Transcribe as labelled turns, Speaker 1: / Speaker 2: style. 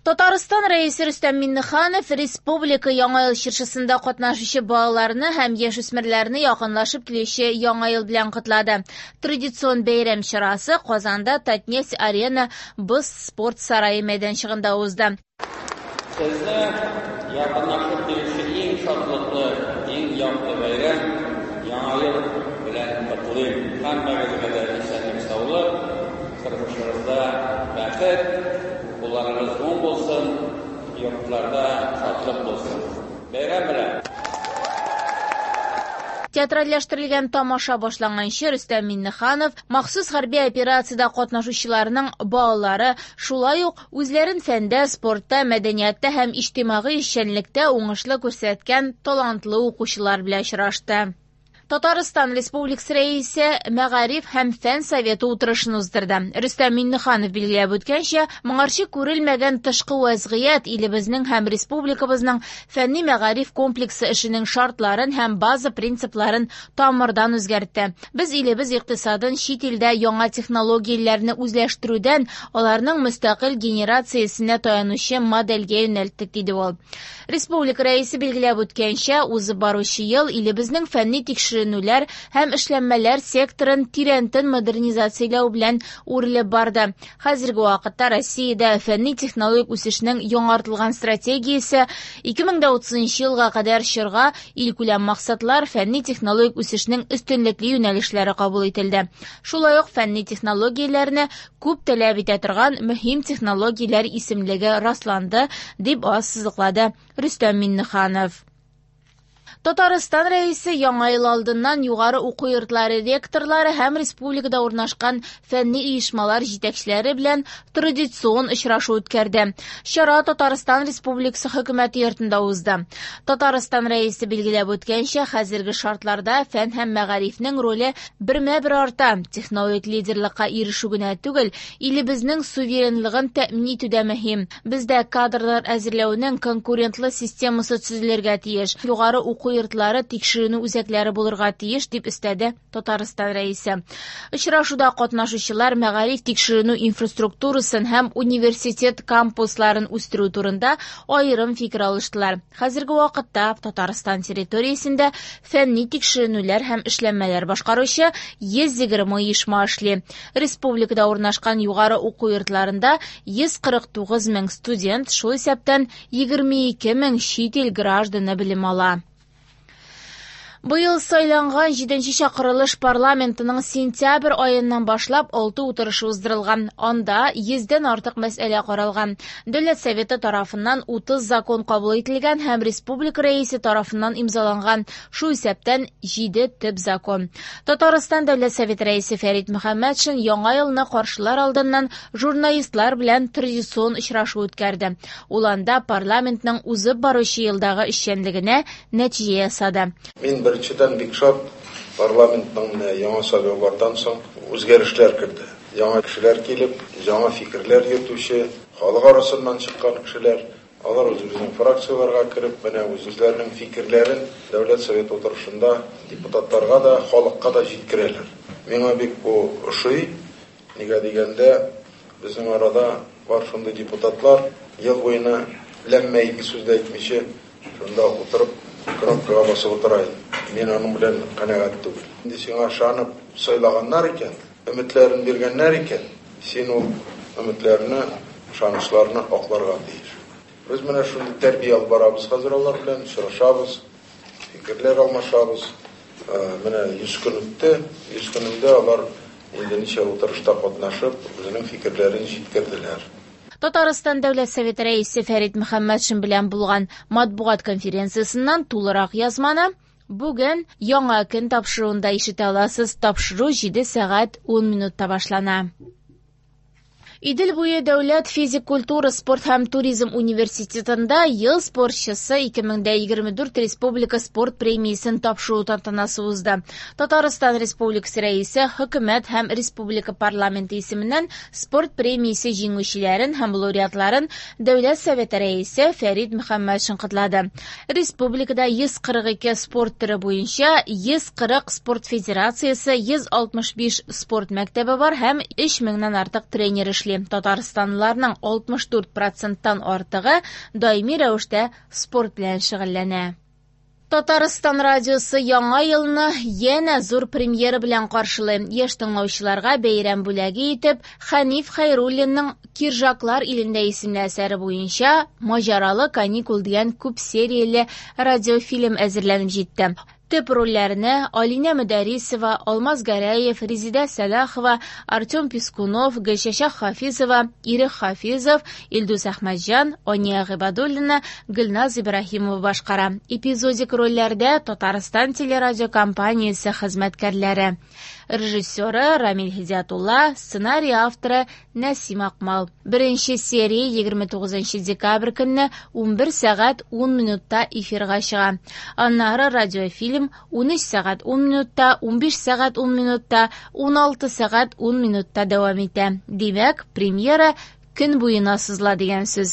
Speaker 1: Татарстан Рәисе Рөстәм Миңнеханов республика Яңа ел чыршысында катнашучы балаларны һәм яшүсмерләрне якынлашып килүче Яңа ел белән котлады. Традицион бәйрәм чарасы Казанда Татнефть-Арена боз спорт сарае мәйданчыгында узды.
Speaker 2: Сезне якынлашып килүче иң шатлыклы, иң якты бәйрәм, Яңа ел белән котлыйм. Һәммәгезгә дә исәнлек-саулык, тормышыгызда бәхет, кулларыгыз уң булсын, йортларда шатлык булсын. Бәйрәм белән!
Speaker 1: Театральләштерелгән тамаша башланганчы Рөстәм Миңнеханов махсус хәрби операциядә катнашучыларның балалары, шулай ук үзләрен фәндә, спортта, мәдәниятта һәм иҗтимагый эшчәнлектә уңышлы күрсәткән талантлы укучылар белән очрашты. Татарстан Республикасы Рәисе Мәгариф һәм фән советы утырышын уздырды. Рөстәм Миңнеханов билгеләп үткәнчә, моңарчы күрелмәгән тышкы вәзгыять илебезнең һәм республикабызның фәнни мәгариф комплексы эшенең шартларын һәм база принципларын тамырдан үзгәртте. Без илебез икътисадын чит илдә яңа технологияләрне үзләштерүдән аларның мөстәкыйль генерациясенә таянучы модельгә юнәлттек, диде ул. Республика Рәисе билгеләп үткәнчә, узып баручы ел илебезнең фәнни тикшеренүләр һәм эшләнмәләр секторын тирәнтен модернизацияләү белән үрелеп барды. Хәзерге вакытта Россиядә фәнни технологик үсешнең яңартылган стратегиясе 2030 елга кадәр чорга илкүләм максатлар, фәнни технологик үсешнең өстенлекле юнәлешләре кабул ителде. Шулай ук фәнни технологияләрне күп таләп итә торган мөһим технологияләр исемлеге расланды, дип ассызыклады Рөстәм Миңнеханов. Татарстан Рәисе Яңа ел алдыннан югары уку йортлары ректорлары һәм республикада урнашкан фәнни оешмалар җитәкчеләре белән традицион очрашу үткәрде. Чара Татарстан Республикасы хөкүмәте йортында узды. Татарстан Рәисе билгеләп үткәнчә, хәзерге шартларда фән һәм мәгарифнең роле бермә-бер арта. Технологик лидерлыкка ирешү генә түгел, илебезнең суверенлыгын тәэмин итү дә мөһим. Бездә кадрлар әзерләүнең конкурентлы системасы төзелергә тиеш. Югары уку йортлары тикшеренү үзәкләре булырга тиеш, дип өстәде Татарстан Рәисе. Очрашуда катнашучылар мәгариф тикшеренү инфраструктурасын һәм университет кампусларын үстерү турында аерым фикер алыштылар. Хәзерге вакытта Татарстан территориясендә фәнни тикшеренүләр һәм эшләнмәләр башкаручы 120 оешма эшли. Республикада урнашкан югары уку йортларында 149 мең студент, шул исәптән 22 мең чит ил гражданы белем ала. Быел сайланган 7нче чакырылыш парламентының сентябрь аеннан башлап 6 утырышы уздырылган. Анда 100дән артык мәсьәлә каралган. Дәүләт Советы тарафыннан 30 закон кабул ителгән һәм республика рәисе тарафыннан имзаланган, шул исәптән 7 төп закон. Татарстан Дәүләт Советы рәисе Фәрит Мөхәммәтшин яңа елны каршылар алдыннан журналистлар белән традицион очрашу үткәрде. Ул анда парламентның узып баручы елдагы эшчәнлегенә нәтиҗә ясады.
Speaker 3: Мин беренчедән бик шат, парламентның менә яңа сайлаулардан соң үзгәрешләр керде. Яңа кешеләр килеп, яңа фикерләр йөртүче, халык арасыннан чыккан кешеләр, алар үзебезнең фракцияләргә кереп, менә үзләренең фикерләрен Дәүләт Советы утырышында депутатларга да, халыкка да җиткерәләр. Миңа бик бу ошый. Нигә дигәндә, безнең арада бар шундый депутатлар, ел буена ләммә ике сүз дә әйтмичә, шунда утырып, кнопкага басып утыра иде. Мин аның белән канәгать түгел. Инде сиңа ышанып сайлаганнар икән, өметләрен биргәннәр икән, син ул өметләрне, ышанычларны акларга тиеш. Без менә шундый тәрбия алып барабыз хәзер алар белән, очрашабыз, фикерләр алмашабыз. Менә 100 көн үтте, 100 көнендә алар инде ничә утырышта катнашып, үзенең фикерләрен җиткерделәр.
Speaker 1: Татарстан Дәүләт Советы рәисе Фәрит Мөхәммәтшин белән булган матбугат конференциясеннән тулырак язманы бүген Яңа көн тапшыруында ишетә аласыз. Тапшыру 7 сәгать 10 минутта башлана. Идел буе дәүләт физик культура, спорт һәм туризм университетында ел спортчысы 2024 республика спорт премиясен тапшыру тантанасы узды. Татарстан Республикасы рәисе, хөкүмәт һәм республика парламенты исеменнән спорт премиясе җиңүчеләрен һәм лауреатларын Дәүләт Советы рәисе Фәрит Мөхәммәтшин котлады. Республикада 142 спорт төре буенча 140 спорт федерациясе, 165 спорт мәктәбе бар һәм 3000 артык тренер эшли. әйтмешли, татарстанлыларның 64 проценттан артыгы даими рәвештә спорт белән шөгыльләнә. Татарстан радиосы яңа елны янә зур премьера белән каршылый. Яшь тыңлаучыларга бәйрәм бүләге итеп Хәниф Хәйруллинның Киржаклар илендә исемле әсәре буенча Маҗаралы каникул дигән күп серияле радиофильм әзерләнеп җитте. Төп рольләрне Алинә Мөдәрисова, Алмаз Гәрәев, Резидә Сәлахова, Артем Пискунов, Гөлчәчәк Хафизова, Ирек Хафизов, Илдус Әхмәтҗан, Ания Гыйбадуллина, Гөлназ Ибраһимова башкара. Эпизодик рольләрдә Татарстан телерадиокомпаниясе хезмәткәрләре. Режиссеры Рамил Һидиятулла, сценарий авторы Нәсим Акмал. Беренче серия 29 декабрь көнне 11 сәгать 10 минутта эфирга чыга. Аннары радиофильм 13 сәгать 10 минутта, 15 сәгать 10 минутта, 16 сәгать 10 минутта дәвам итә. Димәк, премьера көн буена сузыла дигән сүз.